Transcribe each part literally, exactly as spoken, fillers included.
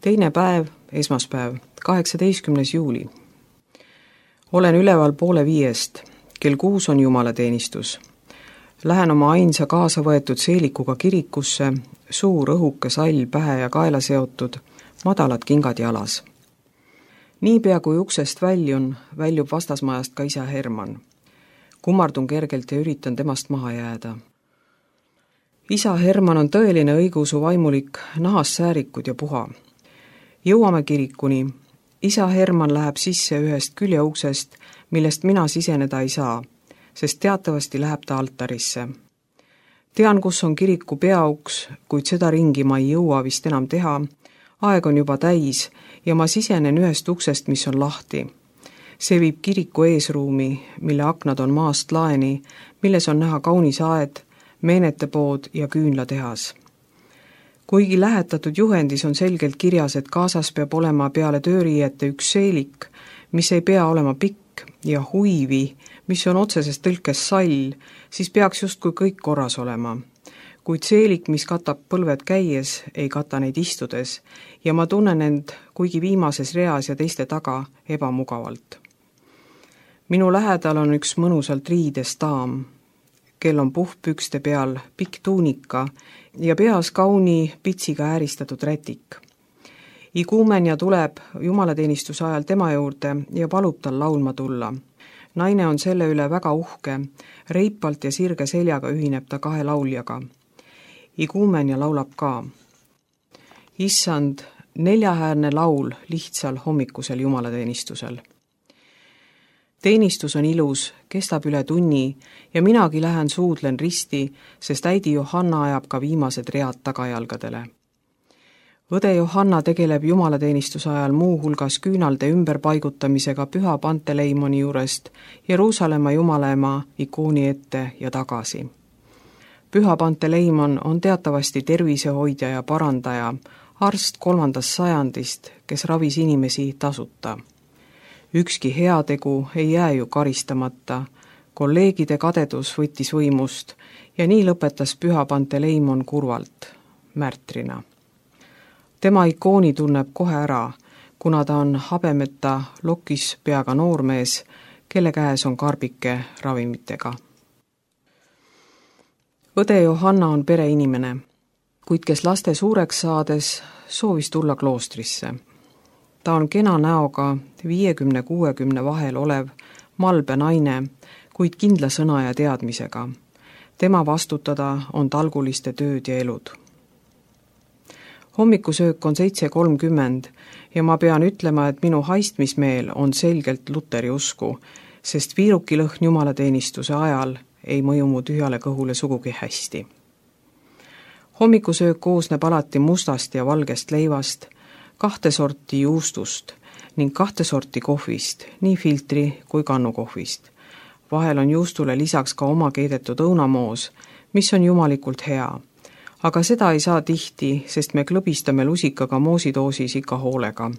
Teine päev, esmaspäev, kaheksateistkümnes juuli. Olen üleval poole viiest, kell kuus on jumalateenistus. Lähen oma ainsa kaasa võetud seelikuga kirikusse, suur õhuke sall pähe ja kaela seotud, madalad kingad jalas. Niipea kui uksest väljun, väljub vastasmajast ka isa Herman. Kummardun kergelt ja üritan temast maha jääda. Isa Herman on tõeline õigeusu vaimulik, nahas säärikud ja puha. Jõuame kirikuni. Isa Herman läheb sisse ühest küljeuksest, millest mina siseneda ei saa, sest teatavasti läheb ta altarisse. Tean, kus on kiriku peauks, kuid seda ringi ma ei jõua vist enam teha. Aeg on juba täis ja ma sisenen ühest uksest, mis on lahti. See viib kiriku eesruumi, mille aknad on maast laeni, milles on näha kaunis aed, meenetepood ja küünlatehas. Kuigi lähetatud juhendis on selgelt kirjas, et kaasas peab olema peale tööriiete üks seelik, mis ei pea olema pikk, ja huivi, mis on otseses tõlkes sall, siis peaks justkui kõik korras olema. Kuid seelik, mis katab põlved käies, ei kata neid istudes, ja ma tunnen end, kuigi viimases reas ja teiste taga, ebamugavalt. Minu lähedal on üks mõnusalt riides daam, kel on puhpükste peal pikk tuunika ja peas kauni pitsiga ääristatud rätik. Iguumenja tuleb jumalateenistuse ajal tema juurde ja palub tal laulma tulla. Naine on selle üle väga uhke, reipalt ja sirge seljaga ühineb ta kahe lauljaga. Iguumenja laulab ka. Issand, neljahäärne laul lihtsal hommikusel jumalateenistusel. Teenistus on ilus, kestab üle tunni ja minagi lähen suudlen risti, sest äidi Johanna ajab ka viimased read tagajalgadele. Õde Johanna tegeleb jumalateenistuse ajal muu hulgas küünalde ümberpaigutamisega Püha Panteleimoni juurest Jeruusalemma Jumalaema ikooni ette ja tagasi. Püha Panteleimon on teatavasti tervisehoidja ja parandaja, arst kolmandast sajandist, kes ravis inimesi tasuta. Ükski heategu ei jää ju karistamata, kolleegide kadedus võttis võimust ja nii lõpetas Püha Panteleimon kurvalt, märtrina. Tema ikooni tunneb kohe ära, kuna ta on habemeta lokis peaga noormees, kelle käes on karbike ravimitega. Õde Johanna on pereinimene, kuid kes laste suureks saades soovis tulla kloostrisse. Ta on kena näoga viiekümne kuuekümne vahel olev malbe naine, kuid kindla sõna ja teadmisega. Tema vastutada on talguliste tööd ja elud. Hommikusöök on seitse kolmkümmend ja ma pean ütlema, et minu haistmismeel on selgelt Luteri usku, sest viirukilõhn jumalateenistuse ajal ei mõju mu tühjale kõhule sugugi hästi. Hommikusöök koosneb alati mustast ja valgest leivast, kahte sorti juustust ning kahte sorti kohvist, nii filtri kui kannukohvist. Vahel on juustule lisaks ka oma keedetud õunamoos, mis on jumalikult hea. Aga seda ei saa tihti, sest me klõbistame lusikaga moosidoosis ikka hoolega.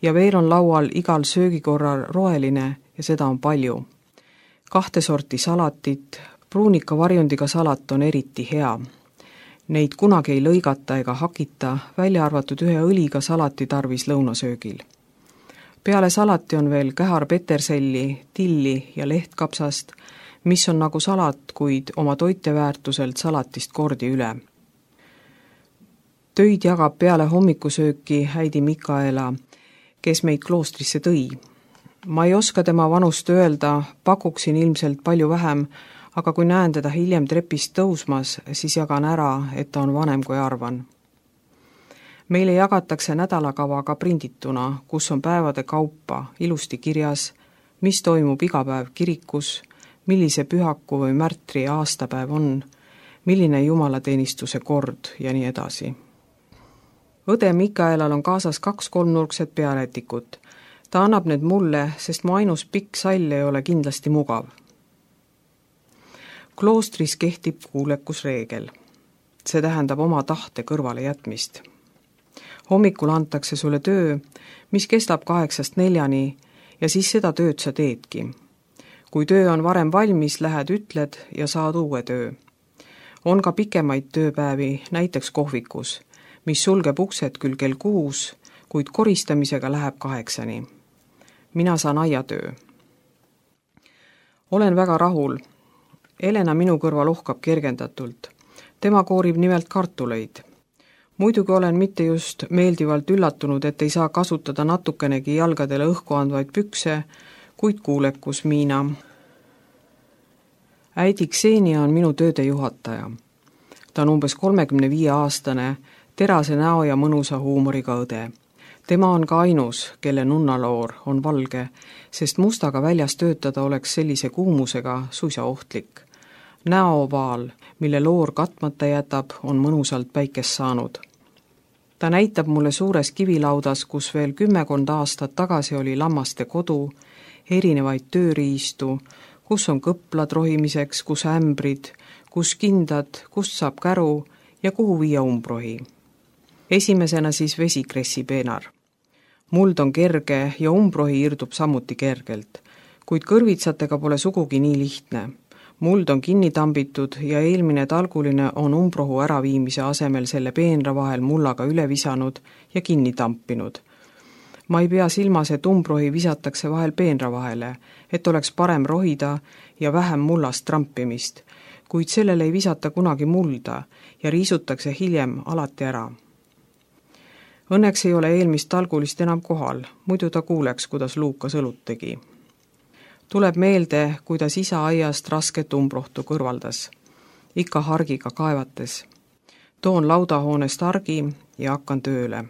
Ja veel on laual igal söögikorral roeline ja seda on palju. Kahte sorti salatit, pruunika varjundiga salat on eriti hea. Neid kunagi ei lõigata ega hakita, välja arvatud ühe õliga salati tarvis lõunasöögil. Peale salati on veel kähar peterselli, tilli ja lehtkapsast, mis on nagu salat, kuid oma toiteväärtuselt salatist kordi üle. Töid jagab peale hommikusööki häidi Mikaela, kes meid kloostrisse tõi. Ma ei oska tema vanust öelda, pakuksin ilmselt palju vähem, aga kui näen teda hiljem trepist tõusmas, siis jagan ära, et ta on vanem kui arvan. Meile jagatakse nädalakava ka prindituna, kus on päevade kaupa ilusti kirjas, mis toimub iga päev kirikus, millise pühaku või märtri aastapäev on, milline jumalateenistuse kord ja nii edasi. Õde Mikaelal on kaasas kaks kolmnurkset pearätikut. Ta annab need mulle, sest mu ainus pikk sall ei ole kindlasti mugav. Kloostris kehtib kuulekusreegel. See tähendab oma tahte kõrvale jätmist. Hommikul antakse sulle töö, mis kestab kaheksast neljani ja siis seda tööd sa teedki. Kui töö on varem valmis, lähed ütled ja saad uue töö. On ka pikemaid tööpäevi, näiteks kohvikus, mis sulgeb uksed küll kell kuus, kuid koristamisega läheb kaheksani. Mina saan aiatöö. Olen väga rahul. Elena minu kõrval uhkab kergendatult. Tema koorib nimelt kartuleid. Muidugi olen mitte just meeldivalt üllatunud, et ei saa kasutada natukenegi jalgadele õhku andvaid pükse, kuid kuulekus Miina. Äidi Ksenia on minu tööde juhataja. Ta on umbes kolmekümne viie aastane, terase näo ja mõnusa huumoriga õde. Tema on ka ainus, kelle nunnaloor on valge, sest mustaga väljas töötada oleks sellise kuumusega suisa ohtlik. Näoovaal, mille loor katmata jätab, on mõnusalt päikest saanud. Ta näitab mulle suures kivilaudas, kus veel kümmekond aastat tagasi oli lammaste kodu, erinevaid tööriistu, kus on kõplad rohimiseks, kus ämbrid, kus kindad, kust saab käru ja kuhu viia umbrohi. Esimesena siis vesikressi peenar. Muld on kerge ja umbrohi irdub samuti kergelt, kuid kõrvitsatega pole sugugi nii lihtne. Muld on kinni tambitud ja eelmine talguline on umbrohu äraviimise asemel selle peenra vahel mullaga üle visanud ja kinni tampinud. Ma ei pea silmas, et umbrohi visatakse vahel peenra vahele, et oleks parem rohida ja vähem mullast trampimist, kuid sellele ei visata kunagi mulda ja riisutakse hiljem alati ära. Õnneks ei ole eelmist talgulist enam kohal, muidu ta kuuleks, kuidas Luukas õlut tegi. Tuleb meelde, kuidas isa aiast rasket umbrohtu kõrvaldas, ikka hargiga kaevates. Toon laudahoonest hargi ja hakkan tööle.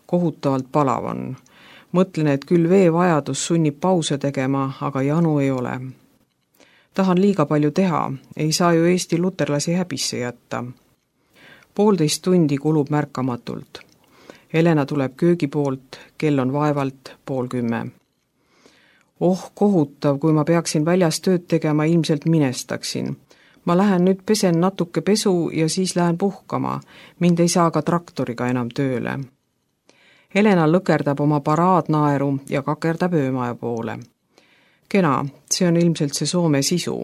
Kohutavalt palav on. Mõtlen, et küll vee vajadus sunnib pause tegema, aga janu ei ole. Tahan liiga palju teha, ei saa ju Eesti luterlasi häbisse jätta. Poolteist tundi kulub märkamatult. Elena tuleb köögi poolt, kell on vaevalt pool kümme. Oh, kohutav, kui ma peaksin väljas tööd tegema, ilmselt minestaksin. Ma lähen nüüd pesen natuke pesu ja siis lähen puhkama. Mind ei saa ka traktoriga enam tööle. Elena lõkerdab oma paraadnaeru ja kakerdab öömaja poole. Kena, see on ilmselt see Soome sisu.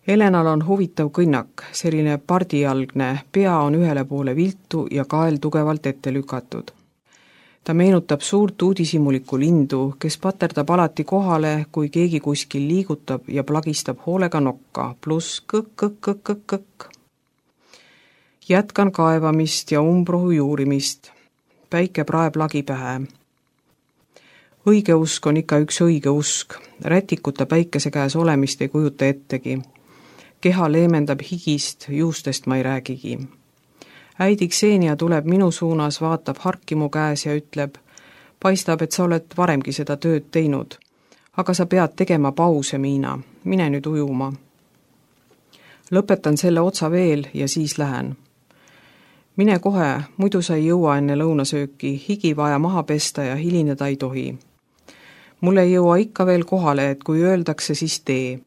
Elenal on huvitav kõnnak, selline pardijalgne, pea on ühele poole viltu ja kael tugevalt ette lükatud. Ta meenutab suurt uudishimulikku lindu, kes paterdab alati kohale, kui keegi kuskil liigutab ja plagistab hoolega nokka, pluss kõk-kõk-kõk-kõk. Jätkan kaevamist ja umbrohu juurimist. Päike praeb lagi pähe. Õige usk on ikka üks õige usk. Rätikuta päikese käes olemist ei kujuta ettegi. Keha leemendab higist, juustest ma ei räägigi. Äidi Ksenia tuleb minu suunas, vaatab harki mu käes ja ütleb, paistab, et sa oled varemgi seda tööd teinud. Aga sa pead tegema pause, Miina. Mine nüüd ujuma. Lõpetan selle otsa veel ja siis lähen. Mine kohe, muidu sa ei jõua enne lõunasööki, higi vaja maha pesta ja hilineda ei tohi. Mul ei jõua ikka veel kohale, et kui öeldakse, siis tee.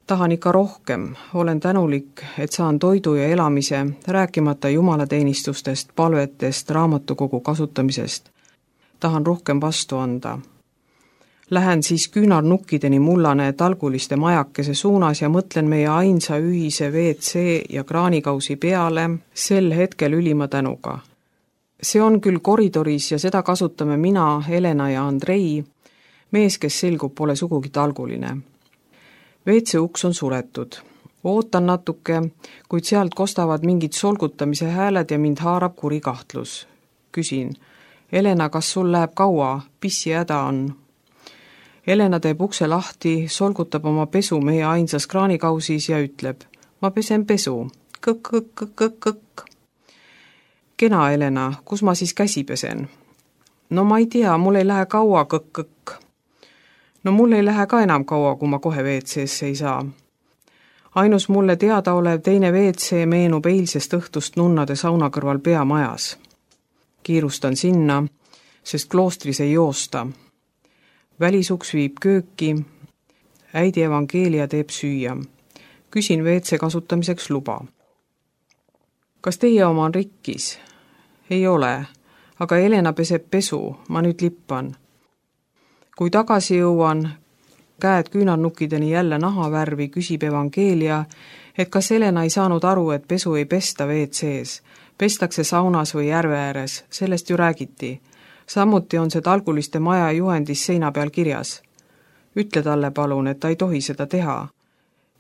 Tahan ikka rohkem, olen tänulik, et saan toidu ja elamise, rääkimata jumalateenistustest, palvetest, raamatukogu kasutamisest. Tahan rohkem vastu anda. Lähen siis küünarnukkideni mullane talguliste majakese suunas ja mõtlen meie ainsa ühise V C ja kraanikausi peale sel hetkel ülima tänuga. See on küll koridoris ja seda kasutame mina, Elena ja Andrei, mees, kes selgub, pole sugugi talguline. V C uks on suletud. Ootan natuke, kuid sealt kostavad mingid solgutamise hääled ja mind haarab kuri kahtlus. Küsin, Elena, kas sul läheb kaua, pissi häda on? Elena teeb ukse lahti, solgutab oma pesu meie ainsas kraanikausis ja ütleb, ma pesen pesu, kõk-kõk-kõk-kõk. Kena, Elena, kus ma siis käsi pesen? No ma ei tea, mul ei lähe kaua kõk-kõk. No mul ei lähe ka enam kaua, kui ma kohe V C-sse ei saa. Ainus mulle teada olev teine V C meenub eilsest õhtust nunnade sauna kõrval peamajas. Kiirustan sinna, sest kloostris ei joosta. Välisuks viib kööki, äidi evangeelia teeb süüa. Küsin V C kasutamiseks luba. Kas teie oma on rikkis? Ei ole, aga Elena peseb pesu, ma nüüd lippan. Kui tagasi jõuan, käed küünarnukkideni jälle nahavärvi, küsib evangeelia et kas Helena ei saanud aru, et pesu ei pesta W C-s, pestakse saunas või järve ääres, sellest ju räägiti. Samuti on see Talguliste maja juhendis seina peal kirjas. Ütle talle palun, et ta ei tohi seda teha.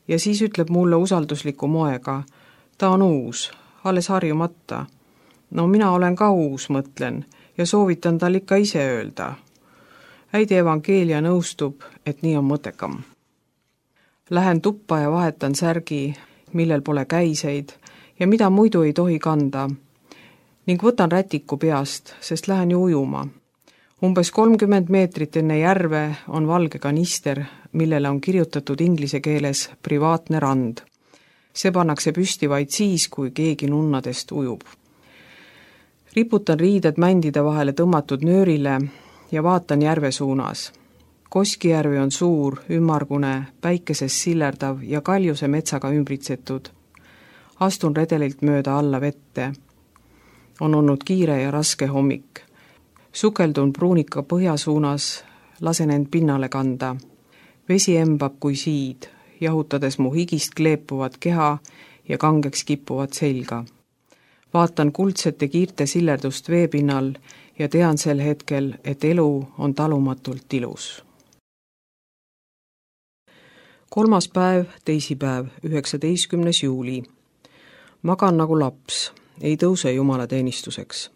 Ja siis ütleb mulle usaldusliku moega, ta on uus, alles harjumata. No mina olen ka uus, mõtlen, ja soovitan tal ikka ise öelda. Äidi Evangeelia nõustub, et nii on mõttekam. Lähen tuppa ja vahetan särgi, millel pole käiseid ja mida muidu ei tohi kanda, ning võtan rätiku peast, sest lähen ju ujuma. Umbes kolmkümmend meetrit enne järve on valge kanister, millele on kirjutatud inglise keeles privaatne rand. See pannakse püsti vaid siis, kui keegi nunnadest ujub. Riputan riided mändide vahele tõmmatud nöörile ja vaatan järve suunas. Koskijärvi on suur, ümmargune, päikeses sillerdav ja kaljuse metsaga ümbritsetud. Astun redelilt mööda alla vette. On olnud kiire ja raske hommik. Sukeldun pruunika põhja suunas, lasen end pinnale kanda. Vesi embab kui siid, jahutades mu higist kleepuvat keha ja kangeks kippuvat selga. Vaatan kuldsete kiirte sillerdust veepinnal ja tean sel hetkel, et elu on talumatult ilus. Kolmas päev, teisipäev, üheksateistkümnes juuli. Magan nagu laps, ei tõuse jumalateenistuseks.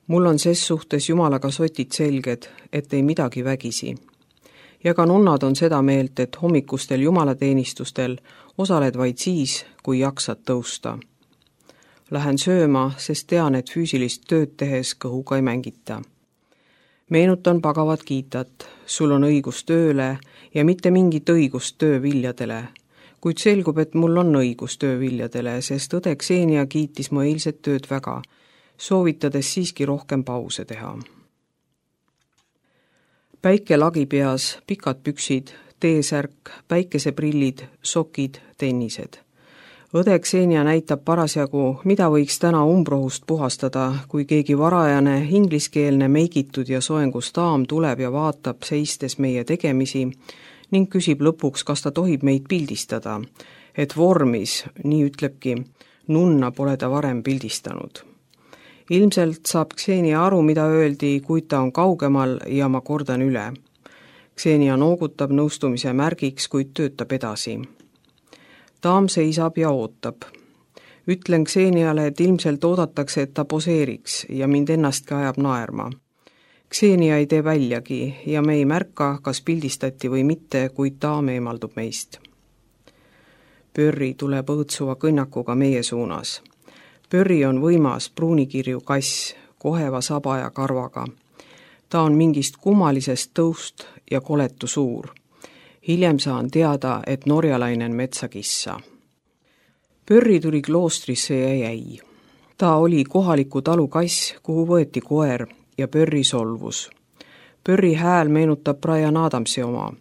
Mul on ses suhtes jumalaga sotid selged, et ei midagi vägisi. Ja ka nunnad on seda meelt, et hommikustel jumalateenistustel osaled vaid siis, kui jaksad tõusta. Lähen sööma, sest tean, et füüsilist tööd tehes kõhuga ei mängita. Meenutan pagavat kiitat, sul on õigus tööle ja mitte mingit õigust tööviljadele, kuid selgub, et mul on õigus tööviljadele, sest õde Ksenia kiitis mu eilset tööd väga, soovitades siiski rohkem pause teha. Päike lagi peas, pikad püksid, teesärk, päikeseprillid, sokid, tennised. Õde Ksenia näitab parasjagu, mida võiks täna umbrohust puhastada, kui keegi varajane, ingliskeelne, meigitud ja soengus daam tuleb ja vaatab seistes meie tegemisi ning küsib lõpuks, kas ta tohib meid pildistada, et vormis, nii ütlebki, nunna pole ta varem pildistanud. Ilmselt saab Ksenia aru, mida öeldi, kuid ta on kaugemal ja ma kordan üle. Ksenia noogutab nõustumise märgiks, kuid töötab edasi. Daam seisab ja ootab. Ütlen Kseniale, et ilmselt oodatakse, et ta poseeriks ja mind ennastki ajab naerma. Ksenia ei tee väljagi ja me ei märka, kas pildistati või mitte, kuid daam eemaldub meist. Pörri tuleb õõtsuva kõnnakuga meie suunas. Pörri on võimas pruunikirju kass, koheva saba ja karvaga. Ta on mingist kummalisest tõust ja koletu suur. Hiljem saan teada, et norjalainen metsakissa. Pörri tuli kloostrisse ja jäi. Ta oli kohaliku talu kass, kuhu võeti koer ja Pörri solvus. Pörri hääl meenutab Brian Adamsi oma.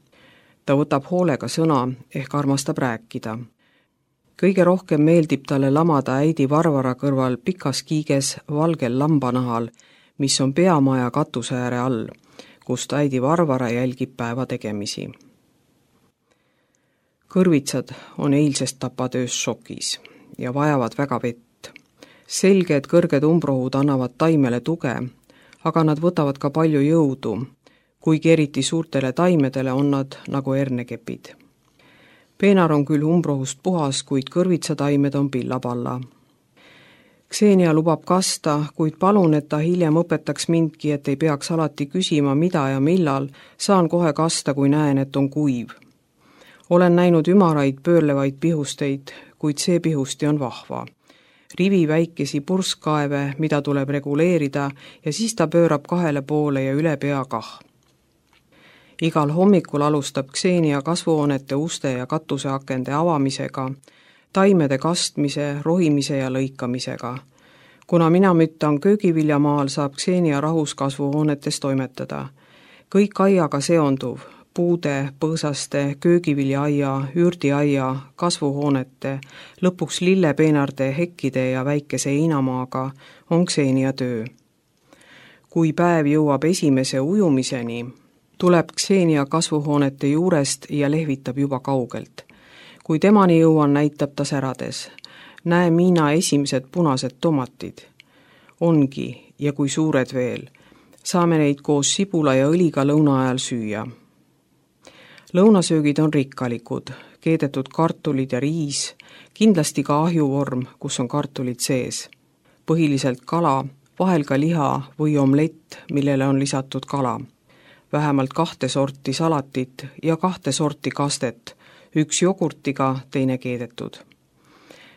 Ta võtab hoolega sõna ehk armastab rääkida. Kõige rohkem meeldib talle lamada äidi Varvara kõrval pikas kiiges valgel lambanahal, mis on peamaja katuse ääre all, kust äidi Varvara jälgib päeva tegemisi. Kõrvitsad on eilsest tapatöös šokis ja vajavad väga vett. Selge, et kõrged umbrohud annavad taimele tuge, aga nad võtavad ka palju jõudu, kuigi eriti suurtele taimedele on nad nagu hernekepid. Peenar on küll umbrohust puhas, kuid kõrvitsataimed on pillapalla. Ksenia lubab kasta, kuid palun, et ta hiljem õpetaks mindki, et ei peaks alati küsima, mida ja millal, saan kohe kasta, kui näen, et on kuiv. Olen näinud ümaraid pöörlevaid pihusteid, kuid see pihusti on vahva. Rivi väikesi purskkaeve, mida tuleb reguleerida ja siis ta pöörab kahele poole ja üle pea kah. Igal hommikul alustab Ksenia kasvuhoonete uste ja katuseakende avamisega, taimede kastmise, rohimise ja lõikamisega. Kuna mina müttan köögiviljamaal, saab Ksenia rahus kasvuhoonetes toimetada. Kõik aiaga seonduv, puude, põõsaste, köögiviljaaia, ürdiaia, kasvuhoonete, lõpuks lillepeenarde, hekkide ja väikese heinamaaga on Ksenia töö. Kui päev jõuab esimese ujumiseni, tuleb Ksenia kasvuhoonete juurest ja lehvitab juba kaugelt. kui temani jõuan, näitab ta särades. Näe Miina esimesed punased tomatid. Ongi, ja kui suured veel. Saame neid koos sibula ja õliga lõuna ajal süüa. Lõunasöögid on rikkalikud, keedetud kartulid ja riis, kindlasti ka ahjuvorm, kus on kartulid sees. Põhiliselt kala, vahel ka liha või omlett, millele on lisatud kala. Vähemalt kahte sorti salatit ja kahte sorti kastet, üks jogurtiga, teine keedetud.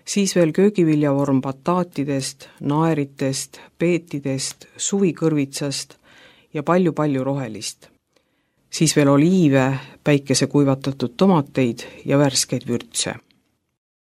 Siis veel köögiviljavorm bataatidest, naeritest, peetidest, suvikõrvitsast ja palju-palju rohelist. Siis veel oliive, päikese kuivatatud tomateid ja värskeid vürtse.